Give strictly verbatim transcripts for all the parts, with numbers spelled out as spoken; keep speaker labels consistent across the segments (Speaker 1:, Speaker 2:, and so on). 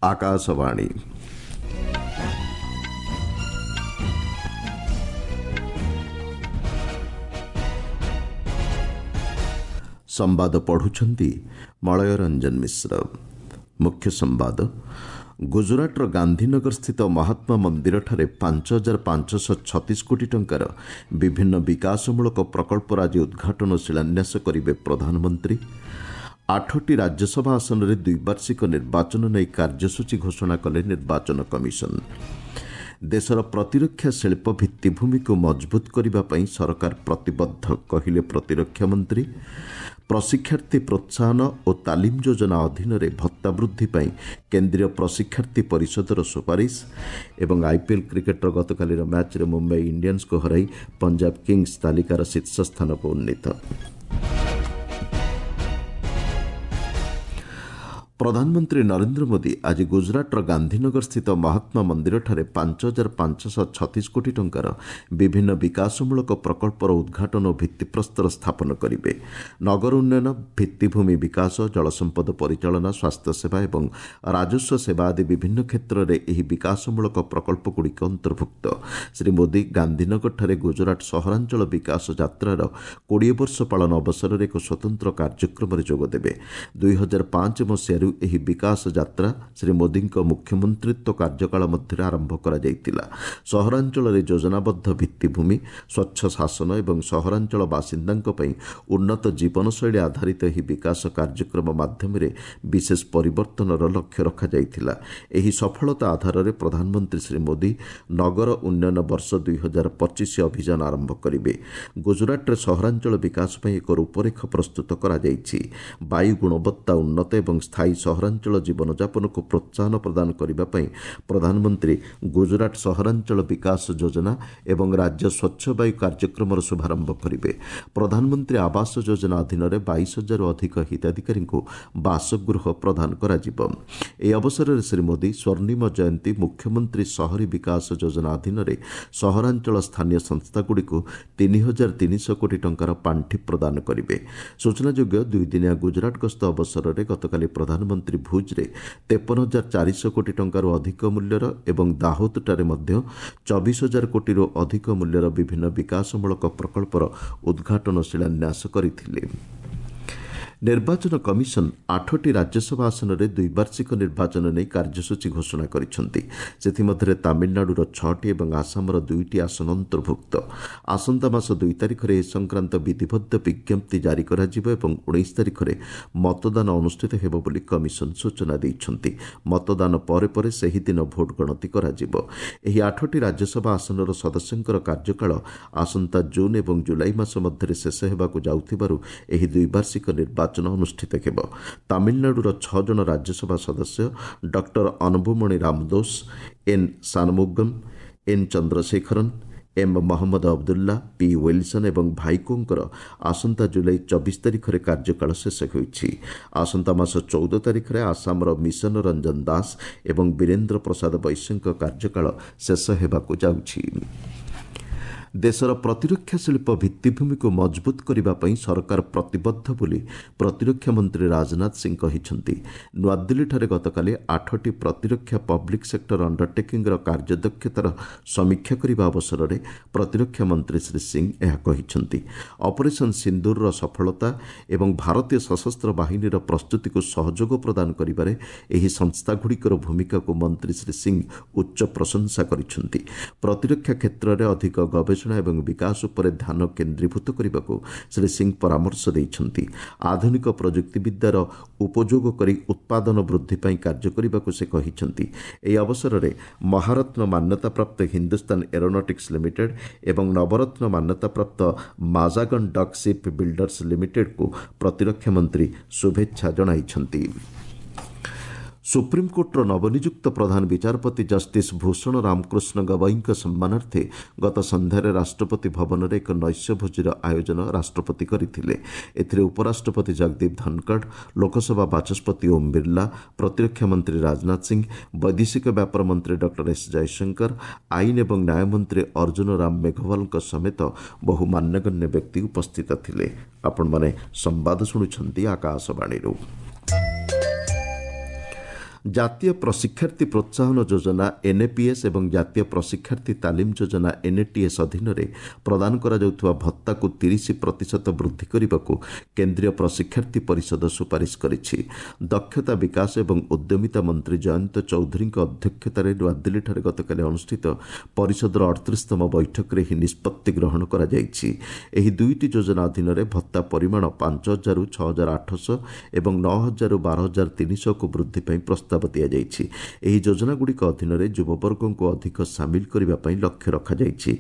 Speaker 1: ଆକାଶବାଣୀ। ସମ୍ବାଦ ପଢୁଛନ୍ତି ମଳୟ ରଞ୍ଜନ ମିଶ୍ର। ମୁଖ୍ୟ ସମ୍ବାଦ। ଗୁଜରାଟର ଗାନ୍ଧୀନଗର ସ୍ଥିତ ମହାତ୍ମା ମନ୍ଦିରଠାରେ ପାଞ୍ଚ ହଜାର ପାଞ୍ଚଶହ ଛତିଶ କୋଟି ଟଙ୍କାର ବିଭିନ୍ନ ବିକାଶମୂଳକ ପ୍ରକଳ୍ପର ଆଜି ଉଦ୍ଘାଟନ ଓ ଶିଳାନ୍ୟାସ କରିବେ ପ୍ରଧାନମନ୍ତ୍ରୀ। ଆଠଟି ରାଜ୍ୟସଭା ଆସନରେ ଦ୍ୱିବାର୍ଷିକ ନିର୍ବାଚନ ନେଇ କାର୍ଯ୍ୟସୂଚୀ ଘୋଷଣା କଲେ ନିର୍ବାଚନ କମିଶନ। ଦେଶର ପ୍ରତିରକ୍ଷା ଶିଳ୍ପ ଭିତ୍ତିଭୂମିକୁ ମଜବୁତ କରିବା ପାଇଁ ସରକାର ପ୍ରତିବଦ୍ଧ, କହିଲେ ପ୍ରତିରକ୍ଷା ମନ୍ତ୍ରୀ। ପ୍ରଶିକ୍ଷାର୍ଥୀ ପ୍ରୋତ୍ସାହନ ଓ ତାଲିମ ଯୋଜନା ଅଧୀନରେ ଭତ୍ତା ବୃଦ୍ଧି ପାଇଁ କେନ୍ଦ୍ରୀୟ ପ୍ରଶିକ୍ଷାର୍ଥୀ ପରିଷଦର ସୁପାରିଶ। ଏବଂ ଆଇପିଏଲ୍ କ୍ରିକେଟ୍ର ଗତକାଲିର ମ୍ୟାଚ୍ରେ ମୁମ୍ବାଇ ଇଣ୍ଡିଆନ୍ସକୁ ହରାଇ ପଞ୍ଜାବ କିଙ୍ଗସ୍ ତାଲିକାର ଶୀର୍ଷ ସ୍ଥାନକୁ ଉନ୍ନୀତ। ପ୍ରଧାନମନ୍ତ୍ରୀ ନରେନ୍ଦ୍ର ମୋଦି ଆଜି ଗୁଜରାଟର ଗାନ୍ଧୀନଗର ସ୍ଥିତ ମହାତ୍ମା ମନ୍ଦିରଠାରେ ପାଞ୍ଚ ହଜାର ପାଞ୍ଚଶହ ଛତିଶ କୋଟି ଟଙ୍କାର ବିଭିନ୍ନ ବିକାଶମୂଳକ ପ୍ରକଳ୍ପର ଉଦ୍ଘାଟନ ଓ ଭିତ୍ତିପ୍ରସ୍ତର ସ୍ଥାପନ କରିବେ। ନଗର ଉନ୍ନୟନ, ଭିତ୍ତିଭୂମି ବିକାଶ, ଜଳସମ୍ପଦ ପରିଚାଳନା, ସ୍ୱାସ୍ଥ୍ୟସେବା ଏବଂ ରାଜସ୍ୱ ସେବା ଆଦି ବିଭିନ୍ନ କ୍ଷେତ୍ରରେ ଏହି ବିକାଶମୂଳକ ପ୍ରକଳ୍ପଗୁଡ଼ିକ ଅନ୍ତର୍ଭୁକ୍ତ। ଶ୍ରୀ ମୋଦି ଗାନ୍ଧୀନଗରଠାରେ ଗୁଜରାଟ ସହରାଞ୍ଚଳ ବିକାଶ ଯାତ୍ରାର କୋଡ଼ିଏ ବର୍ଷ ପାଳନ ଅବସରରେ ଏକ ସ୍ୱତନ୍ତ୍ର କାର୍ଯ୍ୟକ୍ରମରେ ଯୋଗଦେବେ। ଦୁଇ ହଜାର ପାଞ୍ଚ ମସିହାରୁ ଏହି ବିକାଶ ଯାତ୍ରା ଶ୍ରୀ ମୋଦିଙ୍କ ମୁଖ୍ୟମନ୍ତ୍ରିତ୍ୱ କାର୍ଯ୍ୟକାଳ ମଧ୍ୟରେ ଆରମ୍ଭ କରାଯାଇଥିଲା। ସହରାଞ୍ଚଳରେ ଯୋଜନାବଦ୍ଧ ଭିତ୍ତିଭୂମି, ସ୍ୱଚ୍ଛ ଶାସନ ଏବଂ ସହରାଞ୍ଚଳ ବାସିନ୍ଦାଙ୍କ ପାଇଁ ଉନ୍ନତ ଜୀବନଶୈଳୀ ଆଧାରିତ ଏହି ବିକାଶ କାର୍ଯ୍ୟକ୍ରମ ମାଧ୍ୟମରେ ବିଶେଷ ପରିବର୍ତ୍ତନର ଲକ୍ଷ୍ୟ ରଖାଯାଇଥିଲା। ଏହି ସଫଳତା ଆଧାରରେ ପ୍ରଧାନମନ୍ତ୍ରୀ ଶ୍ରୀ ମୋଦି ନଗର ଉନ୍ନୟନ ବର୍ଷ ଦୁଇ ହଜାର ପଚିଶ ଅଭିଯାନ ଆରମ୍ଭ କରିବେ। ଗୁଜରାଟରେ ସହରାଞ୍ଚଳ ବିକାଶ ପାଇଁ ଏକ ରୂପରେଖ ପ୍ରସ୍ତୁତ କରାଯାଇଛି। ବାୟୁ ଗୁଣବତ୍ତା ଉନ୍ନତ ଏବଂ ସ୍ଥାୟୀ ସହରାଞ୍ଚଳ ଜୀବନଯାପନକୁ ପ୍ରୋତ୍ସାହନ ପ୍ରଦାନ କରିବା ପାଇଁ ପ୍ରଧାନମନ୍ତ୍ରୀ ଗୁଜରାଟ ସହରାଞ୍ଚଳ ବିକାଶ ଯୋଜନା ଏବଂ ରାଜ୍ୟ ସ୍ୱଚ୍ଛ ବାୟୁ କାର୍ଯ୍ୟକ୍ରମର ଶୁଭାରମ୍ଭ କରିବେ। ପ୍ରଧାନମନ୍ତ୍ରୀ ଆବାସ ଯୋଜନା ଅଧୀନରେ ବାଇଶ ହଜାରରୁ ଅଧିକ ହିତାଧିକାରୀଙ୍କୁ ବାସଗୃହ ପ୍ରଦାନ କରାଯିବ। ଏହି ଅବସରରେ ଶ୍ରୀ ମୋଦି ସ୍ୱର୍ଣ୍ଣିମ ଜୟନ୍ତୀ ମୁଖ୍ୟମନ୍ତ୍ରୀ ସହରୀ ବିକାଶ ଯୋଜନା ଅଧୀନରେ ସହରାଞ୍ଚଳ ସ୍ଥାନୀୟ ସଂସ୍ଥାଗୁଡ଼ିକୁ ତିନି ହଜାର ତିନିଶହ କୋଟି ଟଙ୍କାର ପାଣ୍ଠି ପ୍ରଦାନ କରିବେ। ସୂଚନାଯୋଗ୍ୟ, ଦୁଇଦିନିଆ ଗୁଜରାଟ ଗସ୍ତ ଅବସରରେ ଗତକାଲି ପ୍ରଧାନମନ୍ତ୍ରୀ ଭୁଜ୍ରେ ତେପନ ହଜାର ଚାରିଶହ କୋଟି ଟଙ୍କାରୁ ଅଧିକ ମୂଲ୍ୟର ଏବଂ ଦାହୋଦଠାରେ ମଧ୍ୟ ଚବିଶ ହଜାର କୋଟିରୁ ଅଧିକ ମୂଲ୍ୟର ବିଭିନ୍ନ ବିକାଶମୂଳକ ପ୍ରକଳ୍ପର ଉଦ୍ଘାଟନ ଶିଳାନ୍ୟାସ କରିଥିଲେ। ନିର୍ବାଚନ କମିଶନ ଆଠଟି ରାଜ୍ୟସଭା ଆସନରେ ଦ୍ୱିବାର୍ଷିକ ନିର୍ବାଚନ ନେଇ କାର୍ଯ୍ୟସୂଚୀ ଘୋଷଣା କରିଛନ୍ତି। ସେଥିମଧ୍ୟରେ ତାମିଲନାଡୁର ଛଅଟି ଏବଂ ଆସାମର ଦୁଇଟି ଆସନ ଅନ୍ତର୍ଭୁକ୍ତ। ଆସନ୍ତା ମାସ ଦୁଇ ତାରିଖରେ ଏ ସଂକ୍ରାନ୍ତ ବିଧିବଦ୍ଧ ବିଜ୍ଞପ୍ତି ଜାରି କରାଯିବ ଏବଂ ଉଣେଇଶ ତାରିଖରେ ମତଦାନ ଅନୁଷ୍ଠିତ ହେବ ବୋଲି କମିଶନ ସୂଚନା ଦେଇଛନ୍ତି। ମତଦାନ ପରେ ପରେ ସେହିଦିନ ଭୋଟ ଗଣତି କରାଯିବ। ଏହି ଆଠଟି ରାଜ୍ୟସଭା ଆସନର ସଦସ୍ୟଙ୍କର କାର୍ଯ୍ୟକାଳ ଆସନ୍ତା ଜୁନ୍ ଏବଂ ଜୁଲାଇ ମାସ ମଧ୍ୟରେ ଶେଷ ହେବାକୁ ଯାଉଥିବାରୁ ଏହି ଦ୍ୱିବାର୍ଷିକ ନିର୍ବାଚନ ଅନୁଷ୍ଠିତ ହେବ। ତାମିଲନାଡୁର ଛଅ ଜଣ ରାଜ୍ୟସଭା ସଦସ୍ୟ doctor Anbumani Ramadoss, N Shanmugam, N Chandrasekaran, M Mohammed Abdullah, P Wilson ଏବଂ ଭାଇକୋଙ୍କର ଆସନ୍ତା ଜୁଲାଇ ଚବିଶ ତାରିଖରେ କାର୍ଯ୍ୟକାଳ ଶେଷ ହୋଇଛି। ଆସନ୍ତା ମାସ ଚଉଦ ତାରିଖରେ ଆସାମର ମିଶନ ରଞ୍ଜନ ଦାସ ଏବଂ ବୀରେନ୍ଦ୍ର ପ୍ରସାଦ ବୈଶ୍ୟଙ୍କ କାର୍ଯ୍ୟକାଳ ଶେଷ ହେବାକୁ ଯାଉଛି। ଦେଶର ପ୍ରତିରକ୍ଷା ଶିଳ୍ପ ଭିତ୍ତିଭୂମିକୁ ମଜବୁତ କରିବା ପାଇଁ ସରକାର ପ୍ରତିବଦ୍ଧ ବୋଲି ପ୍ରତିରକ୍ଷା ମନ୍ତ୍ରୀ ରାଜନାଥ ସିଂ କହିଛନ୍ତି। ନୂଆଦିଲ୍ଲୀଠାରେ ଗତକାଲି ଆଠଟି ପ୍ରତିରକ୍ଷା ପବ୍ଲିକ୍ ସେକ୍ଟର ଅଣ୍ଡରଟେକିଂର କାର୍ଯ୍ୟଦକ୍ଷତାର ସମୀକ୍ଷା କରିବା ଅବସରରେ ପ୍ରତିରକ୍ଷା ମନ୍ତ୍ରୀ ଶ୍ରୀ ସିଂ ଏହା କହିଛନ୍ତି। ଅପରେସନ୍ ସିନ୍ଦୁରର ସଫଳତା ଏବଂ ଭାରତୀୟ ସଶସ୍ତ୍ର ବାହିନୀର ପ୍ରସ୍ତୁତିକୁ ସହଯୋଗ ପ୍ରଦାନ କରିବାରେ ଏହି ସଂସ୍ଥାଗୁଡ଼ିକର ଭୂମିକାକୁ ମନ୍ତ୍ରୀ ଶ୍ରୀ ସିଂ ଉଚ୍ଚ ପ୍ରଶଂସା କରିଛନ୍ତି। ପ୍ରତିରକ୍ଷା କ୍ଷେତ୍ରରେ ଅଧିକ ଗବେଷଣା ଏବଂ ବିକାଶ ଉପରେ ଧ୍ୟାନ କେନ୍ଦ୍ରୀଭୂତ କରିବାକୁ ଶ୍ରୀ ସିଂ ପରାମର୍ଶ ଦେଇଛନ୍ତି। ଆଧୁନିକ ପ୍ରଯୁକ୍ତିବିଦ୍ୟାର ଉପଯୋଗ କରି ଉତ୍ପାଦନ ବୃଦ୍ଧି ପାଇଁ କାର୍ଯ୍ୟ କରିବାକୁ ସେ କହିଛନ୍ତି। ଏହି ଅବସରରେ ମହାରତ୍ନ ମାନ୍ୟତାପ୍ରାପ୍ତ ହିନ୍ଦୁସ୍ତାନ ଏରୋନଟିକ୍ସ ଲିମିଟେଡ୍ ଏବଂ ନବରତ୍ନ ମାନ୍ୟତାପ୍ରାପ୍ତ ମାଜାଗନ୍ ଡକ୍ ସିପ୍ ବିଲ୍ଡର୍ସ ଲିମିଟେଡ୍କୁ ପ୍ରତିରକ୍ଷା ମନ୍ତ୍ରୀ ଶୁଭେଚ୍ଛା ଜଣାଇଛନ୍ତି। ସୁପ୍ରିମକୋର୍ଟର ନବନିଯୁକ୍ତ ପ୍ରଧାନ ବିଚାରପତି ଜଷ୍ଟିସ୍ ଭୂଷଣ ରାମକୃଷ୍ଣ ଗବାଇଙ୍କ ସମ୍ମାନାର୍ଥେ ଗତ ସନ୍ଧ୍ୟାରେ ରାଷ୍ଟ୍ରପତି ଭବନରେ ଏକ ନୈଶ୍ୟ ଭୋଜିର ଆୟୋଜନ ରାଷ୍ଟ୍ରପତି କରିଥିଲେ। ଏଥିରେ ଉପରାଷ୍ଟ୍ରପତି ଜଗଦୀପ ଧନଖଡ଼, ଲୋକସଭା ବାଚସ୍ପତି ଓମ୍ ବିର୍ଲା, ପ୍ରତିରକ୍ଷା ମନ୍ତ୍ରୀ ରାଜନାଥ ସିଂ, ବୈଦେଶିକ ବ୍ୟାପାର ମନ୍ତ୍ରୀ ଡକ୍ଟର ଏସ୍ ଜୟଶଙ୍କର, ଆଇନ ଏବଂ ନ୍ୟାୟ ମନ୍ତ୍ରୀ ଅର୍ଜୁନ ରାମ ମେଘୱାଲଙ୍କ ସମେତ ବହୁ ମାନ୍ୟଗଣ୍ୟ ବ୍ୟକ୍ତି ଉପସ୍ଥିତ ଥିଲେ। ଆପଣମାନେ ସମ୍ବାଦ ଶୁଣୁଛନ୍ତି ଆକାଶବାଣୀରୁ। ଜାତୀୟ ପ୍ରଶିକ୍ଷାର୍ଥୀ ପ୍ରୋତ୍ସାହନ ଯୋଜନା ଏନ୍ଏପିଏସ୍ ଏବଂ ଜାତୀୟ ପ୍ରଶିକ୍ଷାର୍ଥୀ ତାଲିମ ଯୋଜନା ଏନ୍ଏଟିଏସ୍ ଅଧୀନରେ ପ୍ରଦାନ କରାଯାଉଥିବା ଭତ୍ତାକୁ ତିରିଶ ପ୍ରତିଶତ ବୃଦ୍ଧି କରିବାକୁ କେନ୍ଦ୍ରୀୟ ପ୍ରଶିକ୍ଷାର୍ଥୀ ପରିଷଦ ସୁପାରିଶ କରିଛି। ଦକ୍ଷତା ବିକାଶ ଏବଂ ଉଦ୍ୟମିତା ମନ୍ତ୍ରୀ ଜୟନ୍ତ ଚୌଧୁରୀଙ୍କ ଅଧ୍ୟକ୍ଷତାରେ ନୂଆଦିଲ୍ଲୀଠାରେ ଗତକାଲି ଅନୁଷ୍ଠିତ ପରିଷଦର ଅଠତିରିଶତମ ବୈଠକରେ ଏହି ନିଷ୍ପତ୍ତି ଗ୍ରହଣ କରାଯାଇଛି। ଏହି ଦୁଇଟି ଯୋଜନା ଅଧୀନରେ ଭତ୍ତା ପରିମାଣ ପାଞ୍ଚ ହଜାରରୁ ଛଅ ହଜାର ଆଠଶହ ଏବଂ ନଅ ହଜାରରୁ ବାର ହଜାର ତିନିଶହକୁ ବୃଦ୍ଧି ପାଇଁ ପ୍ରସ୍ତାବ ଦିଆଯାଇଛି। ଏହି ଯୋଜନାଗୁଡ଼ିକ ଅଧୀନରେ ଯୁବବର୍ଗଙ୍କୁ ଅଧିକ ସାମିଲ କରିବା ପାଇଁ ଲକ୍ଷ୍ୟ ରଖାଯାଇଛି।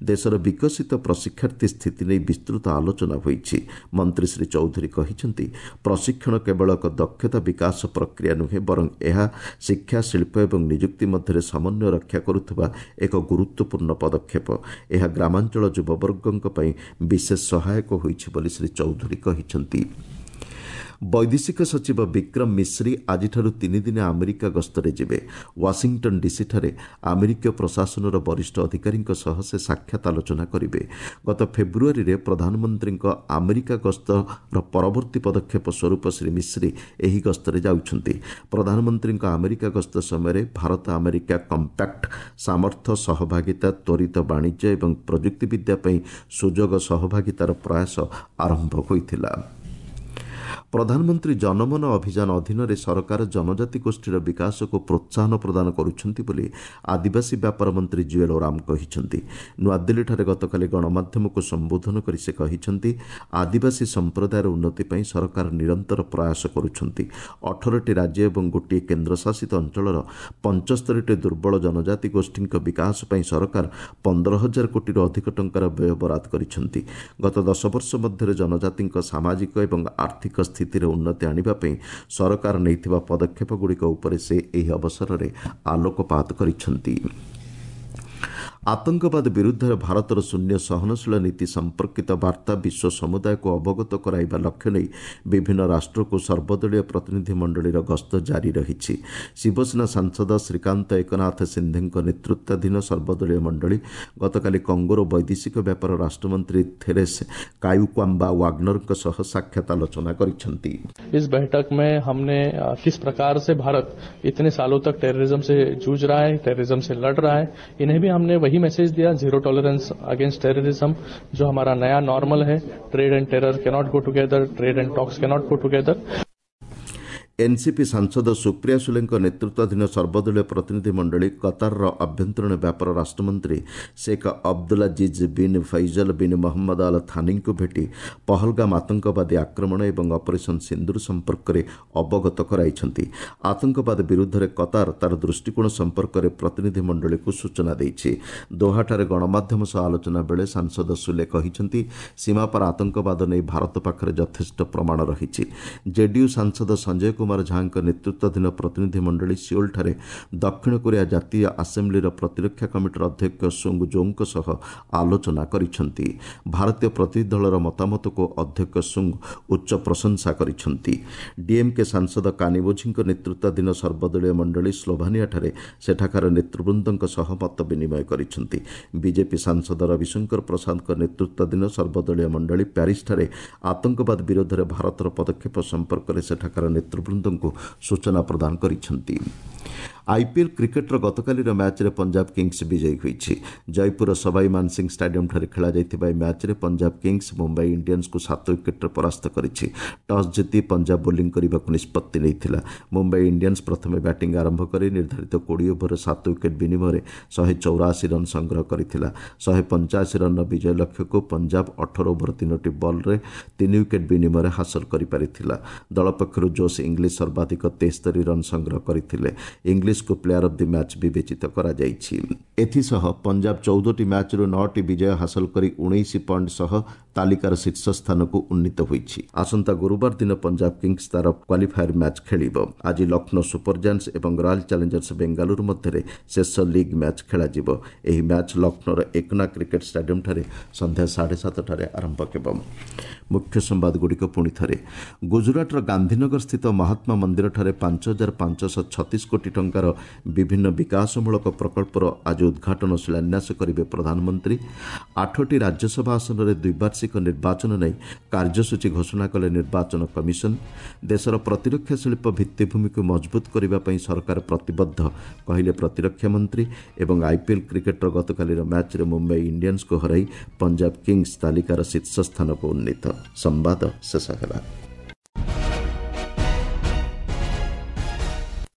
Speaker 1: ଦେଶର ବିକଶିତ ପ୍ରଶିକ୍ଷାର୍ଥୀ ସ୍ଥିତି ନେଇ ବିସ୍ତୃତ ଆଲୋଚନା ହୋଇଛି। ମନ୍ତ୍ରୀ ଶ୍ରୀ ଚୌଧୁରୀ କହିଛନ୍ତି, ପ୍ରଶିକ୍ଷଣ କେବଳ ଏକ ଦକ୍ଷତା ବିକାଶ ପ୍ରକ୍ରିୟା ନୁହେଁ, ବରଂ ଏହା ଶିକ୍ଷା, ଶିଳ୍ପ ଏବଂ ନିଯୁକ୍ତି ମଧ୍ୟରେ ସମନ୍ୱୟ ରକ୍ଷା କରୁଥିବା ଏକ ଗୁରୁତ୍ୱପୂର୍ଣ୍ଣ ପଦକ୍ଷେପ। ଏହା ଗ୍ରାମାଞ୍ଚଳ ଯୁବବର୍ଗଙ୍କ ପାଇଁ ବିଶେଷ ସହାୟକ ହୋଇଛି ବୋଲି ଶ୍ରୀ ଚୌଧୁରୀ କହିଛନ୍ତି। ବୈଦେଶିକ ସଚିବ ବିକ୍ରମ ମିଶ୍ରି ଆଜିଠାରୁ ତିନିଦିନିଆ ଆମେରିକା ଗସ୍ତରେ ଯିବେ। ୱାଶିଂଟନ୍ ଡିସିଠାରେ ଆମେରିକୀୟ ପ୍ରଶାସନର ବରିଷ୍ଠ ଅଧିକାରୀଙ୍କ ସହ ସେ ସାକ୍ଷାତ ଆଲୋଚନା କରିବେ। ଗତ ଫେବୃଆରୀରେ ପ୍ରଧାନମନ୍ତ୍ରୀଙ୍କ ଆମେରିକା ଗସ୍ତର ପରବର୍ତ୍ତୀ ପଦକ୍ଷେପ ସ୍ୱରୂପ ଶ୍ରୀ ମିଶ୍ରି ଏହି ଗସ୍ତରେ ଯାଉଛନ୍ତି। ପ୍ରଧାନମନ୍ତ୍ରୀଙ୍କ ଆମେରିକା ଗସ୍ତ ସମୟରେ ଭାରତ ଆମେରିକା କମ୍ପାକ୍ଟ, ସାମର୍ଥ୍ୟ ସହଭାଗିତା, ତ୍ୱରିତ ବାଣିଜ୍ୟ ଏବଂ ପ୍ରଯୁକ୍ତିବିଦ୍ୟା ପାଇଁ ସୁଯୋଗ ସହଭାଗିତାର ପ୍ରୟାସ ଆରମ୍ଭ ହୋଇଥିଲା। ପ୍ରଧାନମନ୍ତ୍ରୀ ଜନମନ ଅଭିଯାନ ଅଧୀନରେ ସରକାର ଜନଜାତି ଗୋଷ୍ଠୀର ବିକାଶକୁ ପ୍ରୋତ୍ସାହନ ପ୍ରଦାନ କରୁଛନ୍ତି ବୋଲି ଆଦିବାସୀ ବ୍ୟାପାର ମନ୍ତ୍ରୀ ଜୁଏଲ ଓରାମ କହିଛନ୍ତି। ନୂଆଦିଲ୍ଲୀଠାରେ ଗତକାଲି ଗଣମାଧ୍ୟମକୁ ସମ୍ବୋଧନ କରି ସେ କହିଛନ୍ତି, ଆଦିବାସୀ ସମ୍ପ୍ରଦାୟର ଉନ୍ନତି ପାଇଁ ସରକାର ନିରନ୍ତର ପ୍ରୟାସ କରୁଛନ୍ତି। ଅଠରଟି ରାଜ୍ୟ ଏବଂ ଗୋଟିଏ କେନ୍ଦ୍ରଶାସିତ ଅଞ୍ଚଳର ପଞ୍ଚସ୍ତରୀଟି ଦୁର୍ବଳ ଜନଜାତି ଗୋଷ୍ଠୀଙ୍କ ବିକାଶ ପାଇଁ ସରକାର ପନ୍ଦର ହଜାର କୋଟିରୁ ଅଧିକ ଟଙ୍କାର ବ୍ୟୟ ବରାଦ କରିଛନ୍ତି। ଗତ ଦଶ ବର୍ଷ ମଧ୍ୟରେ ଜନଜାତିଙ୍କ ସାମାଜିକ ଏବଂ ଆର୍ଥିକ ସ୍ଥିତିରେ ଉନ୍ନତି ଆଣିବା ପାଇଁ ସରକାର ନେଇଥିବା ପଦକ୍ଷେପଗୁଡ଼ିକ ଉପରେ ସେ ଏହି ଅବସରରେ ଆଲୋକପାତ କରିଛନ୍ତି। ଆତଙ୍କବାଦ ବିରୁଦ୍ଧରେ ଭାରତର ଶୂନ୍ୟ ସହନଶୀଳ ନୀତି ସମ୍ପର୍କିତ ବାର୍ତ୍ତା ବିଶ୍ୱ ସମୁଦାୟକୁ ଅବଗତ କରାଇବା ଲକ୍ଷ୍ୟ ନେଇ ବିଭିନ୍ନ ରାଷ୍ଟ୍ରକୁ ସର୍ବଦଳୀୟ ପ୍ରତିନିଧି ମଣ୍ଡଳୀର ଗସ୍ତ ଜାରି ରହିଛି। ଶିବସେନା ସାଂସଦ ଶ୍ରୀକାନ୍ତ ଏକନାଥ ସିନ୍ଧେଙ୍କ ନେତୃତ୍ୱାଧୀନ ସର୍ବଦଳୀୟ ମଣ୍ଡଳୀ ଗତକାଲି କଙ୍ଗୋର ବୈଦେଶିକ ବ୍ୟାପାର ରାଷ୍ଟ୍ରମନ୍ତ୍ରୀ ଥେରେସ୍ କାୟୁକ୍ୱାମ୍ବା ୱାଗ୍ନରଙ୍କ ସହ ସାକ୍ଷାତ ଆଲୋଚନା କରିଛନ୍ତି।
Speaker 2: इस बैठक में हमने किस प्रकार से भारत इतने सालों तक टेररिज्म से जूझ रहा है, टेररिज्म से लड़ रहा है, इन्हें भी हमने वही मैसेज दिया, जीरो टॉलरेंस अगेंस्ट टेररिज्म जो हमारा नया नॉर्मल है। Trade and terror cannot go together, trade and talks cannot go together.
Speaker 1: NCP ସାଂସଦ ସୁପ୍ରିୟା ସୁଲେଙ୍କ ନେତୃତ୍ୱାଧୀନ ସର୍ବଦଳୀୟ ପ୍ରତିନିଧି ମଣ୍ଡଳୀ କତାରର ଆଭ୍ୟନ୍ତରୀଣ ବ୍ୟାପାର ରାଷ୍ଟ୍ରମନ୍ତ୍ରୀ Sheikh Abdulaziz bin Faisal bin Mohammed Al ଥାନିଙ୍କୁ ଭେଟି ପହଲଗାମ ଆତଙ୍କବାଦୀ ଆକ୍ରମଣ ଏବଂ ଅପରେସନ୍ ସିନ୍ଦୁର ସମ୍ପର୍କରେ ଅବଗତ କରାଇଛନ୍ତି। ଆତଙ୍କବାଦ ବିରୁଦ୍ଧରେ କତାର ତାର ଦୃଷ୍ଟିକୋଣ ସମ୍ପର୍କରେ ପ୍ରତିନିଧି ମଣ୍ଡଳୀକୁ ସୂଚନା ଦେଇଛି। ଦୋହାଠାରେ ଗଣମାଧ୍ୟମ ସହ ଆଲୋଚନା ବେଳେ ସାଂସଦ ସୁଲେ କହିଛନ୍ତି, ସୀମାପାର ଆତଙ୍କବାଦ ନେଇ ଭାରତ ପାଖରେ ଯଥେଷ୍ଟ ପ୍ରମାଣ ରହିଛି। ଜେଡିୟୁ ସାଂସଦ ସଞ୍ଜୟ କୁମାର ଝାଙ୍କ ନେତୃତ୍ୱାଧୀନ ପ୍ରତିନିଧି ମଣ୍ଡଳୀ ସିଓଲଠାରେ ଦକ୍ଷିଣ କୋରିଆ ଜାତୀୟ ଆସେମ୍ବ୍ଲିର ପ୍ରତିରକ୍ଷା କମିଟିର ଅଧ୍ୟକ୍ଷ ସୁଙ୍ଗ ଜୋଙ୍କ ସହ ଆଲୋଚନା କରିଛନ୍ତି। ଭାରତୀୟ ପ୍ରତିନିଧି ଦଳର ମତାମତକୁ ଅଧ୍ୟକ୍ଷ ସୁଙ୍ଗ ଉଚ୍ଚ ପ୍ରଶଂସା କରିଛନ୍ତି। ଡିଏମ୍କେ ସାଂସଦ କାନିବୋଝିଙ୍କ ନେତୃତ୍ୱାଧୀନ ସର୍ବଦଳୀୟ ମଣ୍ଡଳୀ ସ୍ଲୋଭାନିଆଠାରେ ସେଠାକାର ନେତୃବୃନ୍ଦଙ୍କ ସହ ମତ ବିନିମୟ କରିଛନ୍ତି। ବିଜେପି ସାଂସଦ ରବିଶଙ୍କର ପ୍ରସାଦଙ୍କ ନେତୃତ୍ୱାଧୀନ ସର୍ବଦଳୀୟ ମଣ୍ଡଳୀ ପ୍ୟାରିସଠାରେ ଆତଙ୍କବାଦ ବିରୋଧରେ ଭାରତର ପଦକ୍ଷେପ ସମ୍ପର୍କରେ ସେଠାକାର ନେତୃବୃନ୍ଦଙ୍କୁ ସୂଚନା ପ୍ରଦାନ କରିଛନ୍ତି। ଆଇପିଏଲ୍ କ୍ରିକେଟ୍ର ଗତକାଲିର ମ୍ୟାଚ୍ରେ ପଞ୍ଜାବ କିଙ୍ଗସ୍ ବିଜୟୀ ହୋଇଛି। ଜୟପୁରର ସବାଇ ମାନସିଂ ଷ୍ଟାଡିୟମ୍ଠାରେ ଖେଳାଯାଇଥିବା ଏହି ମ୍ୟାଚ୍ରେ ପଞ୍ଜାବ କିଙ୍ଗସ୍ ମୁମ୍ବାଇ ଇଣ୍ଡିଆନ୍ସକୁ ସାତ ୱିକେଟ୍ରେ ପରାସ୍ତ କରିଛି। ଟସ୍ ଜିତି ପଞ୍ଜାବ ବୋଲିଂ କରିବାକୁ ନିଷ୍ପତ୍ତି ନେଇଥିଲା। ମୁମ୍ବାଇ ଇଣ୍ଡିଆନ୍ସ ପ୍ରଥମେ ବ୍ୟାଟିଂ ଆରମ୍ଭ କରି ନିର୍ଦ୍ଧାରିତ କୋଡ଼ିଏ ଓଭରରେ ସାତ ୱିକେଟ୍ ବିନିମୟରେ ଶହେ ଚଉରାଅଶୀ ରନ୍ ସଂଗ୍ରହ କରିଥିଲା। ଶହେ ପଞ୍ଚାଅଶୀ ରନ୍ର ବିଜୟ ଲକ୍ଷ୍ୟକୁ ପଞ୍ଜାବ ଅଠର ଓଭର ତିନୋଟି ବଲ୍ରେ ତିନି ୱିକେଟ୍ ବିନିମୟରେ ହାସଲ କରିପାରିଥିଲା। ଦଳ ପକ୍ଷରୁ ଜୋସ୍ ଇଂଲିଶ ସର୍ବାଧିକ ତେସ୍ତରୀ ରନ୍ ସଂଗ୍ରହ କରିଥିଲେ। ଇଂଲିଶକୁ ପ୍ଲେୟାର ଅଫ୍ the match ବିବେଚିତ କରାଯାଇଛି। ଏଥିସହ ପଞ୍ଜାବ ଚଉଦଟି ମ୍ୟାଚ୍ରୁ ନଅଟି ବିଜୟ ହାସଲ କରି ଉଣେଇଶ ପଏଣ୍ଟ ସହ ତାଲିକାର ଶୀର୍ଷ ସ୍ଥାନକୁ ଉନ୍ନୀତ ହୋଇଛି। ଆସନ୍ତା ଗୁରୁବାର ଦିନ ପଞ୍ଜାବ କିଙ୍ଗସ୍ ତାର କ୍ୱାଲିଫାୟର ମ୍ୟାଚ୍ ଖେଳିବ। ଆଜି ଲକ୍ଷ୍ନୌ ସୁପର ଜାଏଣ୍ଟସ୍ ଏବଂ ରୟାଲ ଚ୍ୟାଲେଞ୍ଜର୍ସ ବେଙ୍ଗାଲୁରୁ ମଧ୍ୟରେ ଶେଷ ଲିଗ୍ ମ୍ୟାଚ୍ ଖେଳାଯିବ। ଏହି ମ୍ୟାଚ୍ ଲକ୍ଷ୍ନୌର ଏକନା କ୍ରିକେଟ୍ ଷ୍ଟାଡିୟମ୍ଠାରେ ସନ୍ଧ୍ୟା ସାଢ଼େ ସାତଟାରେ ଆରମ୍ଭ ହେବ। ମୁଖ୍ୟ ସମ୍ବାଦଗୁଡ଼ିକ ପୁଣି ଥରେ। ଗୁଜୁରାଟର ଗାନ୍ଧୀନଗର ସ୍ଥିତ ମହାତ୍ମା ମନ୍ଦିରଠାରେ ପାଞ୍ଚ ହଜାର ପାଞ୍ଚଶହ ଛତିଶ କୋଟି ଟଙ୍କାର ଟଙ୍କାର ବିଭିନ୍ନ ବିକାଶମୂଳକ ପ୍ରକଳ୍ପର ଆଜି ଉଦ୍ଘାଟନ ଶିଳାନ୍ୟାସ କରିବେ ପ୍ରଧାନମନ୍ତ୍ରୀ। ଆଠଟି ରାଜ୍ୟସଭା ଆସନରେ ଦ୍ୱିବାର୍ଷିକ ନିର୍ବାଚନ ନେଇ କାର୍ଯ୍ୟସୂଚୀ ଘୋଷଣା କଲେ ନିର୍ବାଚନ କମିଶନ। ଦେଶର ପ୍ରତିରକ୍ଷା ଶିଳ୍ପ ଭିତ୍ତିଭୂମିକୁ ମଜବୁତ କରିବା ପାଇଁ ସରକାର ପ୍ରତିବଦ୍ଧ, କହିଲେ ପ୍ରତିରକ୍ଷା ମନ୍ତ୍ରୀ। ଏବଂ ଆଇପିଏଲ୍ କ୍ରିକେଟ୍ର ଗତକାଲିର ମ୍ୟାଚ୍ରେ ମୁମ୍ବାଇ ଇଣ୍ଡିଆନ୍ସକୁ ହରାଇ ପଞ୍ଜାବ କିଙ୍ଗସ୍ ତାଲିକାର ଶୀର୍ଷ ସ୍ଥାନକୁ ଉନ୍ନୀତ। ସମ୍ବାଦ ଶେଷ ହେଲା।